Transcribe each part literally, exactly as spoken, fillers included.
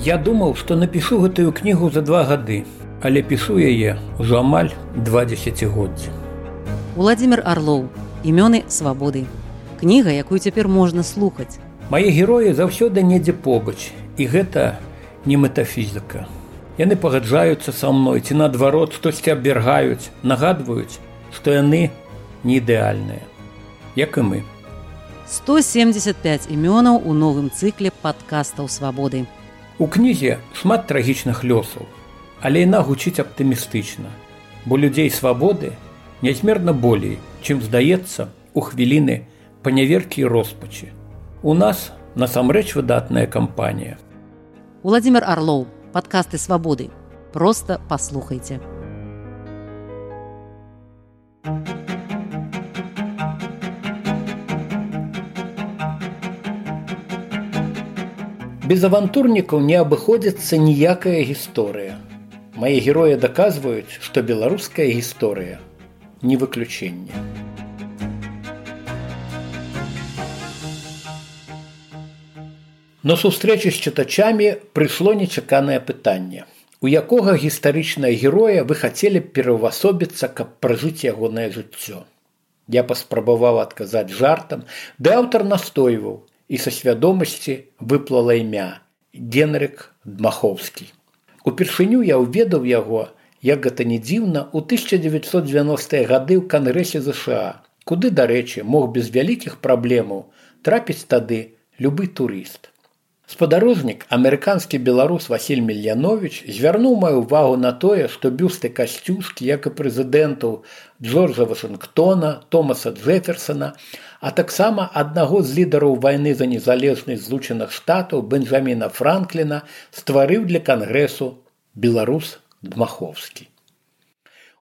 Я думаў, што напішу гэтую кнігу за два гады, але пішу яе ўжо амаль два дзесяцігоддзі. Уладзімір Арлоў. Імёны свабоды. Кніга, якую цяпер можна слухаць. Мае героі заўсёды недзе побач, і гэта не метафізіка. Яны пагаджаюцца са мной, ці наадварот штосьці абвяргаюць, нагадваюць, што яны не ідэальныя, як і мы. сто семьдесят пять імёнаў у новым цыкле падкастаў свабоды. У кнізе шмат трагічных лёсаў, але яна гучыць аптымістычна, бо людзей свабоды нязмерна болей, чым здаецца у хвіліны паняверкі і роспачы. У нас насамрэч выдатная кампанія. Уладзімір Арлоў. Падкасты свабоды. Проста паслухайце. Без авантурнікаў не абыходзіцца ніякая гісторыя. Мае героі даказваюць, што беларуская гісторыя не выключэнне. На сустрэчы з чытачамі прыйшло нечаканае пытанне. У якога гістарычнага героя вы хацелі б пераўвасобіцца, каб пражыць ягонае жыццё? Я паспрабаваў адказаць жартам, ды аўтар настойваў, і са свядомасці выплыла імя Генрых Дмахоўскі. Упершыню я ўведаў яго, як гэта не дзіўна, у тысяча дзевяцьсот дзевяностыя гады ў Кангрэсе ЗША, куды, дарэчы, мог без вялікіх праблемаў трапіць тады любы турыст. Спадарожнік, амерыканскі беларус Васіль Мільяновіч звярнуў маю ўвагу на тое, што бюсты Касцюшкі, як і прэзідэнтаў Джорджа Вашынгтона, Томаса Джэферсона, а таксама аднаго з лідараў вайны за незалежнасць Злучаных Штатаў Бенджаміна Франкліна стварыў для Кангрэсу беларус Дмахоўскі.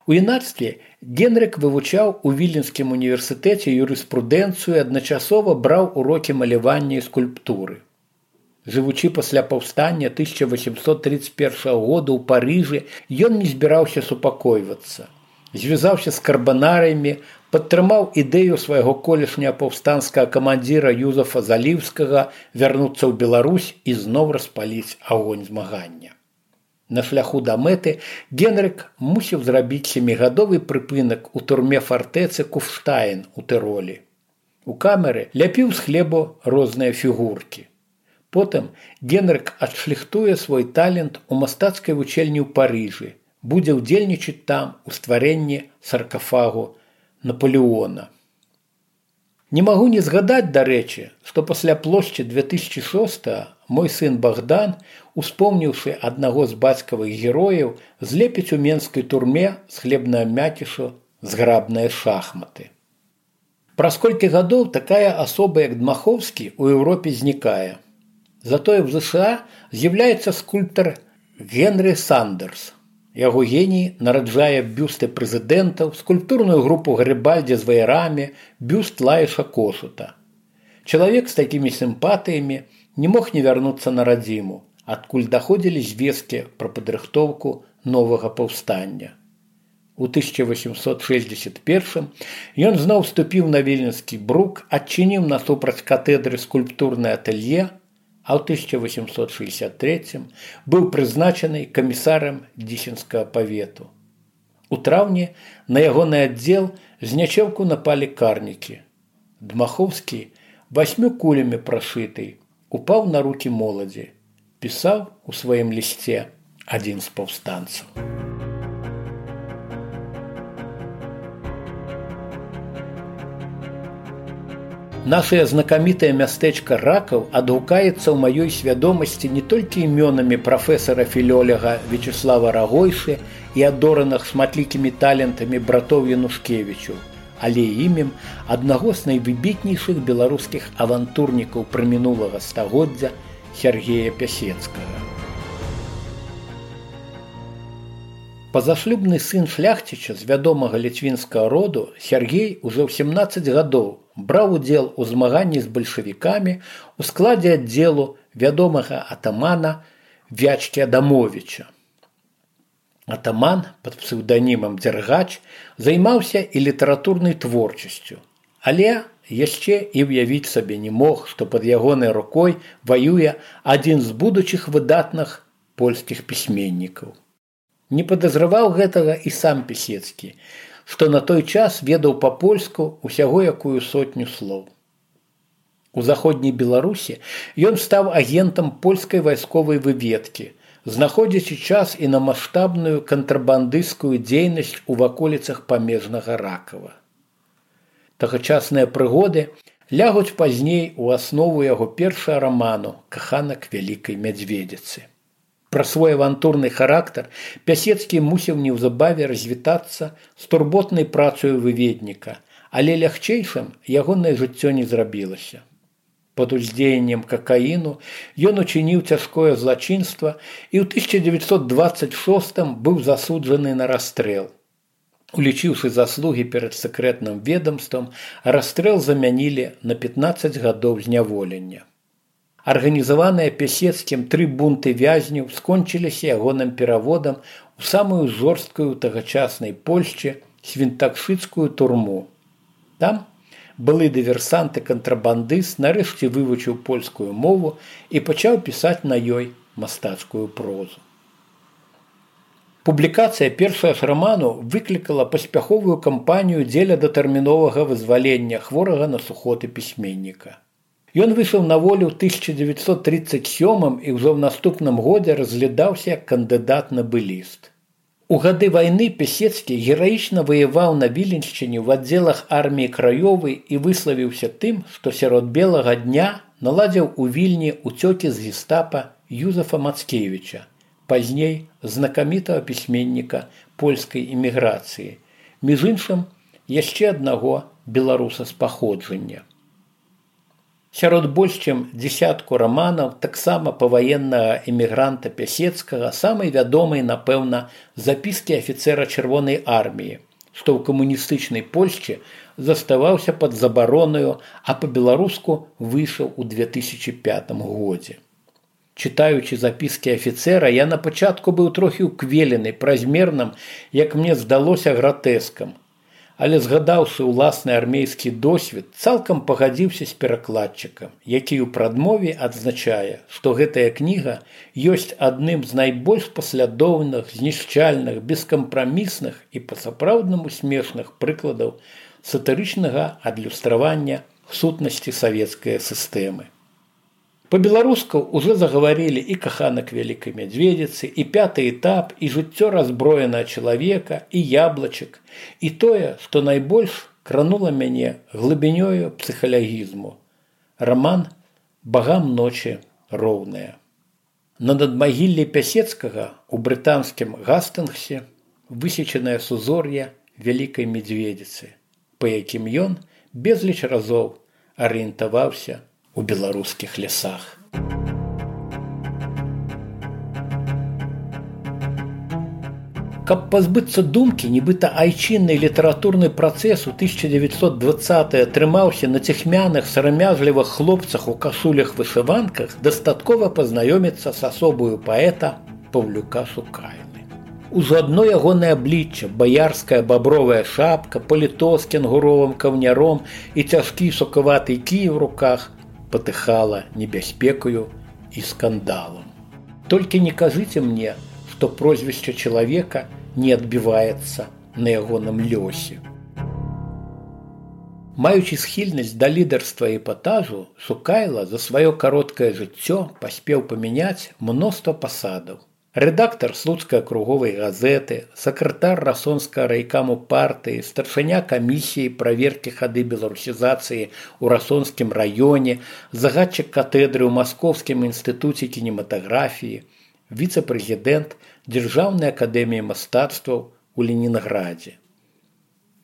У юнацтве Генрых вывучаў у Віленскім універсітэце юрыспрудэнцыю і адначасова браў урокі малявання і скульптуры. Жывучы пасля паўстання тысяча восемьсот тридцать першага года ў Парыжы, ён не збіраўся супакойвацца. Звязаўся з карбанарыямі, падтрымаў ідэю свайго колішняга паўстанцкага камандзіра Юзафа Заліўскага вярнуцца ў Беларусь і зноў распаліць агонь змагання. На шляху да мэты Генрых мусіў зрабіць сямігадовы прыпынак у турме фартэцы Куфштайн у Тыролі. У камеры ляпіў з хлебу розныя фігуркі. Потым Генрых адшліхтуе свой талент у мастацкай вучэльні ў Парыжы, будзе ўдзельнічаць там у стварэнні саркафагу Напалеона. Не магу не згадаць, дарэчы, што пасля плошчы две тысячи шостага мой сын Богдан, успомніўшы аднаго з бацькавых герояў, злепіць у менскай турме з хлебнага мякішу зграбныя шахматы. Праз колькі гадоў такая асоба, як Дмахоўскі, у Еўропе знікае. Затое в ЗША з'яўляецца скульптар Генрі Сандерс. Яго геній нараджае бюсты прэзідэнтаў, скульптурную групу Гарібальдзі з ваярамі, бюст Лаіша Кошута. Чалавек з такімі сімпатыямі не мог не вярнуцца на радзіму, адкуль даходзілі звесткі пра падрыхтоўку новага паўстання. У тысяча восемьсот шэсцьдзесят першым ён зноў вступіў на Віленскі брук, адчыніў насупраць катедры скульптурнае атэлье, а ў тысяча восемьсот шэсцьдесят трэцім быў прызначаны камісарам Дзісенскага павету. У траўні на ягоны аддзел з нячэўку напалі карнікі. Дмахоўскі, васьмю кулямі прашыты, упаў на рукі моладзі, пісаў у сваім лісце адзін з паўстанцаў. Нашае знакамітае мястэчка Ракаў адгукаецца ў маёй свядомасці не толькі імёнамі прафесара філёлага Вячеслава Рагойшы і адораных шматлікімі талентамі братоў Янушкевічу, але і імем аднаго з найвыбітнейшых беларускіх авантурнікаў прымінулага стагоддзя Сергея Пясецкага. Пазашлюбны сын шляхціча з вядомага ліцвінскага роду, Сергей ужо ў сямнаццаць гадоў браў удзел у змаганні з бальшавікамі ў складзе аддзелу вядомага атамана Вячкі Адамовіча. Атаман пад псеўданімам Дзяргач займаўся і літаратурнай творчасцю, але яшчэ і ўявіць сабе не мог, што пад ягонай рукой ваюе адзін з будучых выдатных польскіх пісьменнікаў. Не падазраваў гэтага і сам Пісецкі, што на той час ведаў па-польску усяго якую сотню слоў. У заходняй Беларусі ён стаў агентам польскай вайсковай выведкі, знаходзячы час і на маштабную кантрабандысцкую дзейнасць у ваколіцах памежнага Ракава. Тагачасныя прыгоды лягуць пазней у аснову яго першага раману «Каханак вялікай мядзведзіцы». Пра свой авантурны характар Пясецкі мусіў неўзабаве развітацца з турботнай працаю выведніка, але лягчэйшым ягонае жыццё не зрабілася. Пад уздзеяннем какаіну ён учыніў цяжкое злачынства і ў тысяча дзевяцьсот дваццаць шостым быў засуджаны на расстрэл. Улічыўшы заслугі перад сакрэтным ведамствам, расстрэл замянілі на пятнаццаць гадоў зняволення. Арганізаваныя Пясецкім тры бунты вязняў скончыліся ягоным пераводам у самую жорсткую тагачаснай Польшчы свінтакшыцкую турму. Там былы дыверсанты-кантрабандыст нарэшце вывучыў польскую мову і пачаў пісаць на ёй мастацкую прозу. Публікацыя першага ж раману выклікала паспяховую кампанію дзеля датэрміновага вызвалення хворага на сухоты пісьменніка. Ён выйшаў на волю ў тысяча дзевяцьсот трыццаць сёмым і ўжо ў наступным годзе разглядаўся як кандыдат на быліст. У гады вайны Пісецкі гераічна ваяваў на Віленшчыне ў аддзелах арміі Краёвай і выславіўся тым, што сярод белага дня наладзіў у Вільні уцёкі з гестапа Юзефа Мацкевіча, пазней знакамітага пісьменніка польскай эміграцыі, між іншым яшчэ аднаго беларуса з паходжання. Сярод больш чым дзесятку раманаў таксама паваеннага эмігранта Пясецкага самай вядомай, напэўна, запіскі афіцэра Чырвонай арміі, што ў камуністычнай Польшчы заставаўся пад забаронаю, а па-беларуску выйшаў у две тысячы пятым годзе. Чытаючы запіскі афіцэра, я на пачатку быў трохі ўквелены празмерным, як мне здалося, гратэскам, але згадаўшы ўласны армейскі досвед, цалкам пагадзіўся з перакладчыкам, які ў прадмове адзначае, што гэтая кніга ёсць адным з найбольш паслядоўных, знішчальных, бескампрамісных і па-сапраўднаму смешных прыкладаў сатырычнага адлюстравання сутнасці савецкай сістэмы. Па-беларуску ўжо загаварылі і «Каханак вялікай мядзведзіцы», і «Пяты этап», і «Жыццё разброенага чалавека», і «Яблачак», і тое, што найбольш кранула мяне глыбінёю псіхалагізму. Раман «Багам ночы роўныя». На надмагіллі Пясецкага у брытанскім Гастынгсе высечанае сузор'е вялікай мядзведзіцы, па якім ён безліч разоў арыентаваўся у беларускіх лясах. Каб пазбыцца думкі, нібыта айчынны літаратурны працэс у тысяча дзевяцьсот дваццатыя трымаўся на ціхмяных, сарамязлівых хлопцах у кашулях-вышыванках, дастаткова пазнаёміцца з асобаю паэта Паўлюка Сукайлы. Ужо адно ягонае аблічча, баярская бабровая шапка, паліто з кенгуровым каўняром і цяжкі сукаваты кій у руках патыхала небяспекаю і скандалам. Толькі не кажыце мне, што прозвішча чалавека не адбіваецца на ягоным лёсе. Маючы схільнасць да лідарства і эпатажу, Сукайла за сваё кароткае жыццё паспеў памяняць мноства пасадаў. Рэдактар слуцкай акруговай газеты, сакратар расонскага райкаму партыі, старшыня камісіі праверкі хады беларусізацыі ў расонскім раёне, загадчык катедры ў Маскоўскім інстытуце кінематаграфіі, віцэ-прэзідэнт Дзяржаўнай акадэміі мастацтваў у Ленінградзе.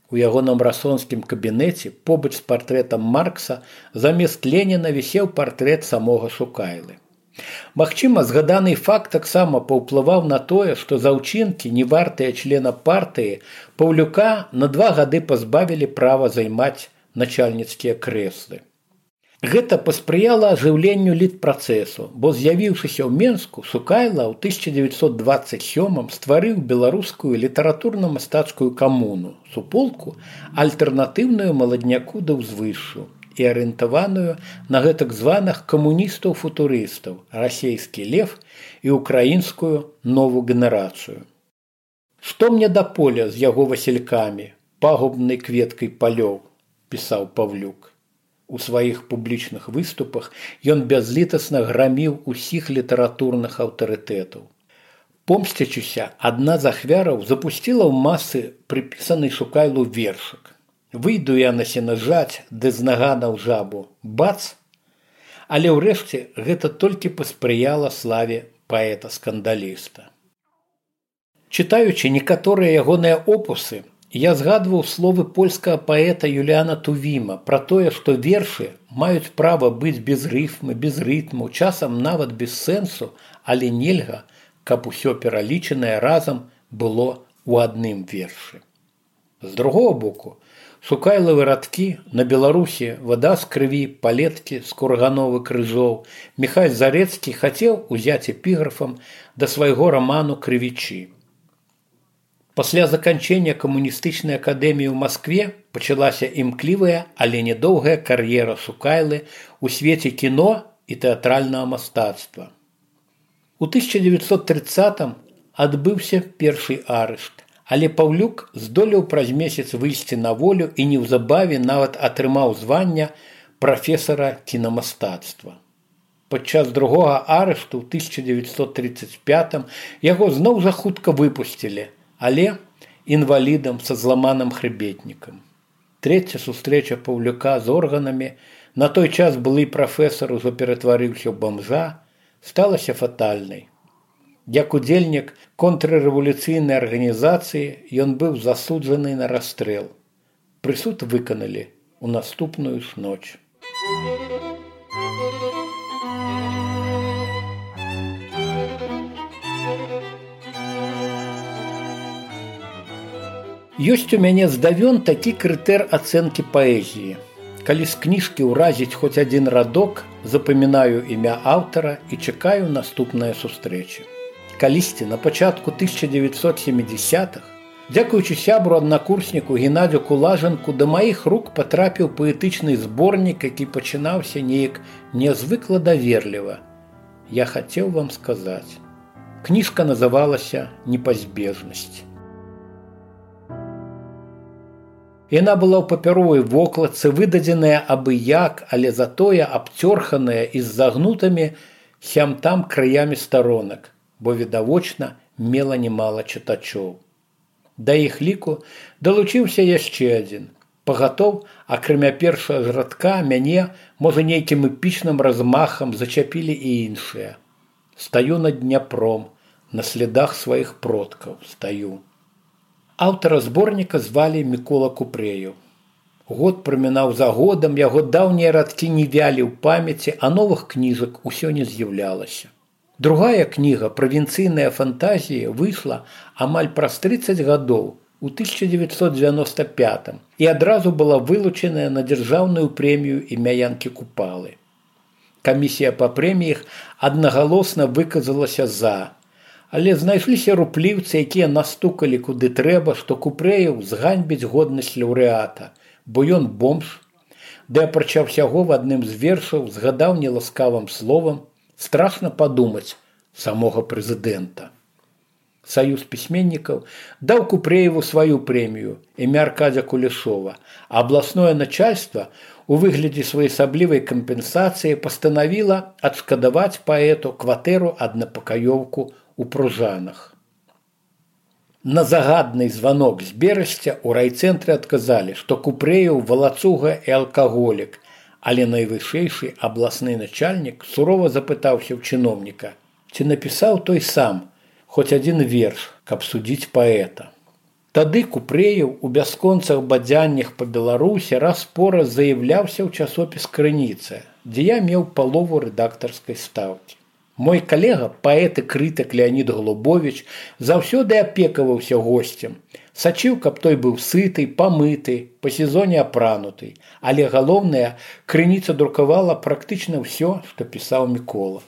У ягоным расонскім кабінеце побач з партрэтам Маркса замест Леніна вісеў партрэт самога Сукайлы. Магчыма, згаданы факт таксама паўплываў на тое, што за ўчынкі, не вартыя члена партыі, Паўлюка на два гады пазбавілі права займаць начальніцкія крэслы. Гэта паспрыяла ажыўленню літпрацэсу, бо з'явіўшыся ў Менску, Сукайла ў тысяча дзевятьсот дваццаць сёмым стварыў беларускую літаратурна-мастацкую камуну, суполку, альтэрнатыўную маладняку да ўзвышшу і арыентаваную на гэтак званых камуністаў-футурыстаў, расейскі лев і украінскую новую генерацыю. «Што мне да поля з яго васількамі, пагубнай кветкай палёў», пісаў Павлюк. У сваіх публічных выступах ён бязлітасна граміў усіх літаратурных аўтарытэтаў. Помсцячыся, адна з ахвяраў запусціла ў масы прыпісаны Сукайлу вершык. «Выйду я на сенажаць, ды з нагана ў жабу, бац!» Але ўрэшце гэта толькі паспрыяла славе паэта-скандаліста. Чытаючы некаторыя ягоныя опусы, я згадваў словы польскага паэта Юліана Тувіма пра тое, што вершы маюць права быць без рыфмы, без рытму, часам нават без сэнсу, але нельга, каб усё пералічанае разам было ў адным вершы. З другога боку, Сукайлавы радкі «На Беларусі вада з крыві, палеткі з кургановы крыжоў» Міхась Зарэцкі хацеў узяць эпіграфам да свайго раману «Крывічы». Пасля заканчэння камуністычнай акадэміі ў Маскве пачалася імклівая, але нядоўгая кар'ера Сукайлы ў свеце кіно і тэатральнага мастацтва. У тысяча дзевятьсот трыццатым адбыўся першы арышт, але Паўлюк здолеў праз месяц выйсці на волю і неўзабаве нават атрымаў звання прафесара кінамастацтва. Падчас другога арышту ў тысяча дзевятьсот трыццаць пятым яго зноў жа хутка выпусцілі, але інвалідам са зламаным хрыбетнікам. Трэця сустрэча Паўлюка з органамі, на той час былы прафесар ужо ператварыўся ў бамжа, сталася фатальнай. Як удзельнік контррэвалюцыйнай арганізацыі ён быў засуджаны на расстрэл. Прысуд выканалі ў наступную ж ноч. Ёсць у мяне здавён такі крытэр ацэнкі паэзіі. Калі з кніжкі ўразіць хоць адзін радок, запамінаю імя аўтара і чакаю наступнай сустрэчы. Калісьці на пачатку тысяча дзевятьсот сямідзясятых, дзякуючы сябру-аднакурсніку Геннадзю Кулажанку, да маіх рук патрапіў паэтычны зборнік, які пачынаўся неяк нязвыкла даверліва. Я хацеў вам сказаць. Кніжка называлася «Непазбежнасць». Яна была ў папяровай вокладцы, выдадзеная абы як, але затое абцёрханая і з загнутымі сям-там краямі старонак, бо відавочна мела немала чытачоў. Да іх ліку далучыўся яшчэ адзін. Пагатоў, акрамя першага ж радка, мяне, можа, нейкім эпічным размахам зачапілі і іншыя. Стаю над Дняпром, на слядах сваіх продкаў стаю. Аўтара зборніка звалі Мікола Купрэеў. Год прамінаў за годам, яго даўнія радкі не вялі ў памяці, а новых кніжак усё не з'яўлялася. Другая кніга «Правінцыйныя фантазіі» выйшла амаль праз трыццаць гадоў, у тысяча дзевятьсот дзевяноста пятым, і адразу была вылучаная на дзяржаўную прэмію імя Янкі Купалы. Камісія па прэміях аднагалосна выказалася «за», але знайшліся рупліўцы, якія настукалі куды трэба, што Купрэеў зганьбіць годнасць лаўрэата, бо ён бомж, ды апрача ўсяго в адным з вершаў згадаў неласкавым словам страшна падумаць самога прэзідэнта. Саюз пісьменнікаў даў Купрэеву сваю прэмію, імя Аркадзя Кулешова, а абласное начальства у выглядзе своеасаблівай кампенсацыі пастанавіла адшкадаваць паэту кватэру аднапакаёўку у Пружанах. На загадны званок з Берасця ў райцэнтры адказалі, што Купрэеў валацуга і алкаголік, але найвышэйшы абласны начальнік сурова запытаўся ў чыноўніка, ці напісаў той сам хоць адзін верш, каб судзіць паэта. Тады Купрэеў у бясконцах бадзяннях па Беларусі раз-пораз заяўляўся ў часопіс «Крыніца», дзе я меў палову рэдактарскай стаўкі. Мой калега, паэт і крытык Леонід Голубович, заўсёды апекаваўся госцем. Сачыў, каб той быў сыты, памыты, па сезоне апрануты. Але галоўнае, крыніца друкавала практычна ўсё, што пісаў Мікола.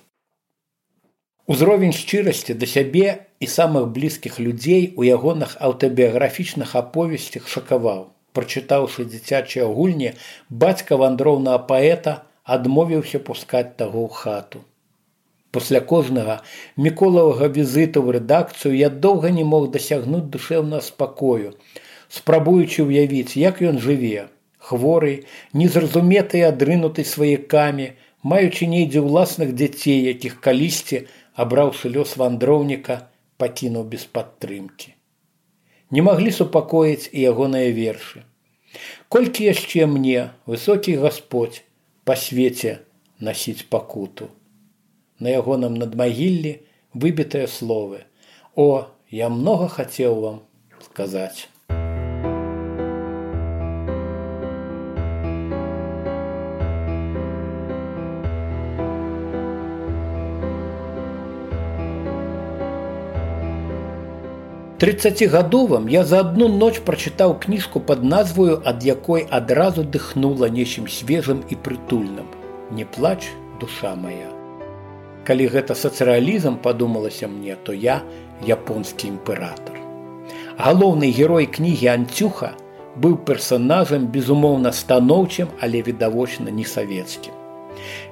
Узровень шчырасці да сябе і самых блізкіх людзей у ягоных аўтабіяграфічных аповесцях шакаваў. Прачытаўшы дзіцячыя гульні, бацька вандроўнага паэта адмовіўся пускаць таго ў хату. Пасля кожнага Міколавага візіту ў рэдакцыю я доўга не мог дасягнуць душэўнага спакою, спрабуючы ўявіць, як ён жыве, хворы, незразуметы і адрынуты сваякамі, маючы нейдзе ўласных дзяцей, якіх калісьці, абраўшы лёс вандроўніка, пакінуў без падтрымкі. Не маглі супакоіць і ягоныя вершы. Колькі яшчэ мне, высокі Гасподзь, па свеце насіць пакуту. На ягоным надмагіллі выбітыя словы. О, я многа хацеў вам сказаць. трыццацігадовым я за адну ноч прачытаў кніжку пад назваю, ад якой адразу дыхнула нечым свежым і прытульным. Не плач, душа моя. Калі гэта сацыялізм, падумалася мне, то я японскі імператар. Галоўны герой кнігі Анцюха быў персанажам безумоўна станоўчым, але відавочна не савецкім.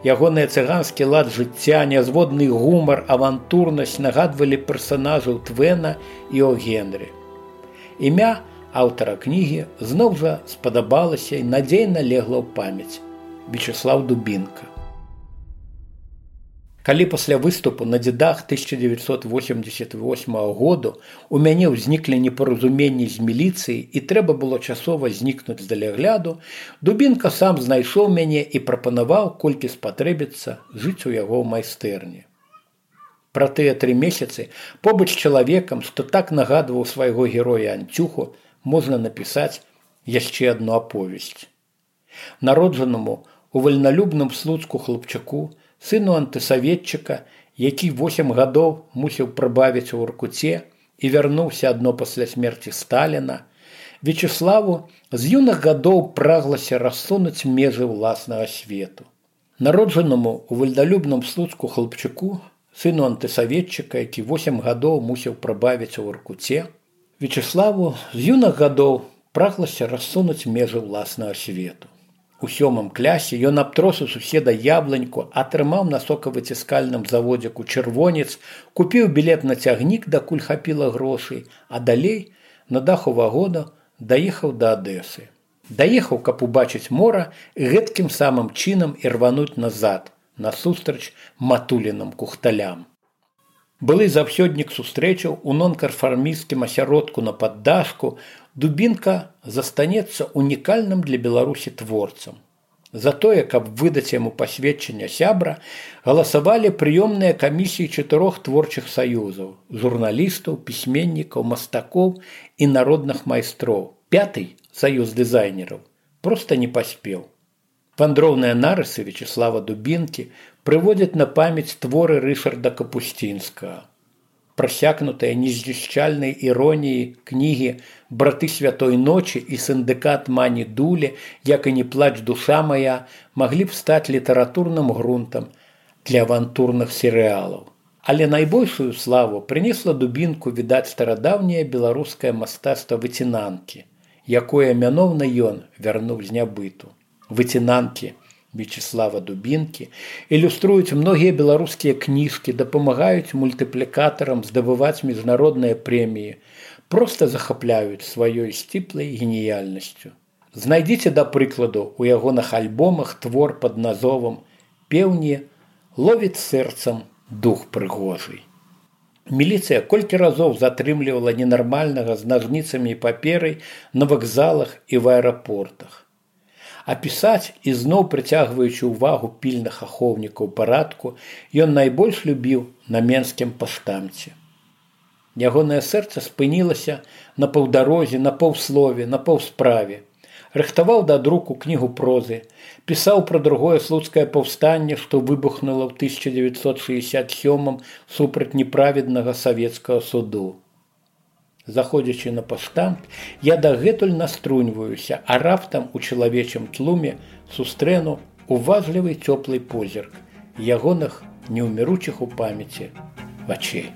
Ягоны цыганскі лад жыцця, нязводны гумар, авантурнасць нагадвалі персанажаў Твена і О. Генрі. Імя аўтара кнігі зноў жа спадабалася і надзейна легла ў памяць. Вячеслав Дубінка. Калі пасля выступу на дзедах тысяча дзевятьсот восемьдесят восьмага году у мяне ўзніклі непаразуменні з міліцыяй і трэба было часова знікнуць з далягляду, Дубінка сам знайшоў мяне і прапанаваў, колькі спатрэбіцца, жыць у яго ў майстэрні. Пра тыя тры месяцы побач з чалавекам, што так нагадваў свайго героя Анцюху, можна напісаць яшчэ адну аповесць. Народжанаму у вальналюбным Слуцку хлопчаку, сыну антысаветчыка, які восем гадоў мусіў прыбавіць у Воркуце і вярнуўся адно пасля смерці Сталіна, Вячеславу з юных гадоў праглася рассунуць межы ўласнага свету. Народжанаму у вальналюбным Слуцку хлопчаку, сыну антысаветчыка, які восем гадоў мусіў прыбавіць у Воркуце, Вячеславу з юных гадоў праглася рассунуць межы ўласнага свету. У сёмым клясе ён абтрос у суседа ябланьку, атрымаў на сокавыціскальным заводзіку чырвонец, купіў білет на цягнік, дакуль хапіла грошай, а далей на даху вагона даехаў да Адэсы. Даехаў, каб убачыць мора і гэткім самым чынам і рвануць назад, насустрач матуліным кухталям. Былы заўсёднік сустрэчаў у нонканфармісцкім асяродку на Паддашку, Дубінка застанецца унікальным для Беларусі творцам. За тое, каб выдаць яму пасведчанне сябра, галасавалі прыёмныя камісіі чатырох творчых саюзаў – журналістаў, пісьменнікаў, мастакоў і народных майстроў. Пяты саюз дызайнераў проста не паспеў. Вандроўныя нарысы Вячеслава Дубінкі прыводзяць на памяць творы Рышарда Капусцінскага. Прасякнутыя незнішчальнай іроніяй кнігі «Браты святой ночі» і «Сіндыкат Мані Дулі», як і «Не плач, душа моя», маглі б стаць літаратурным грунтам для авантурных серыялаў. Але найбольшую славу прынесла Дубінку, відаць, старадаўняе беларускае мастацтва выцінанкі, якое мяноўна ён вярнуў з нябыту. Выцінанкі Вячеслава Дубінкі ілюструюць многія беларускія кніжкі, дапамагаюць мультыплікатарам здабываць міжнародныя прэміі, проста захапляюць сваёй сціплай геніяльнасцю. Знайдзіце, да прыкладу, у ягоных альбомах твор пад назовам «Пеўні ловіць сэрцам дух прыгожый». Міліцыя колькі разоў затрымлівала ненармальнага з нажніцамі і паперай на вакзалах і в аэрапортах. А пісаць, і зноў прыцягваючы ўвагу пільных ахоўнікаў парадку, ён найбольш любіў на менскім паштамце. Ягонае сэрца спынілася на паўдарозе, на паўслове, на паўсправе. Рыхтаваў да друку кнігу прозы, пісаў пра другое слуцкае паўстанне, што выбухнула ў тысяча дзевяцьсот шэсцьдзясят сёмым супраць неправеднага савецкага суду. Заходзячы на паштант, я дагэтуль наструньваюся, а раптам у чалавечым тлуме сустрэну уважлівы цёплы позірк ягоных неўміручых у памяці вачэй.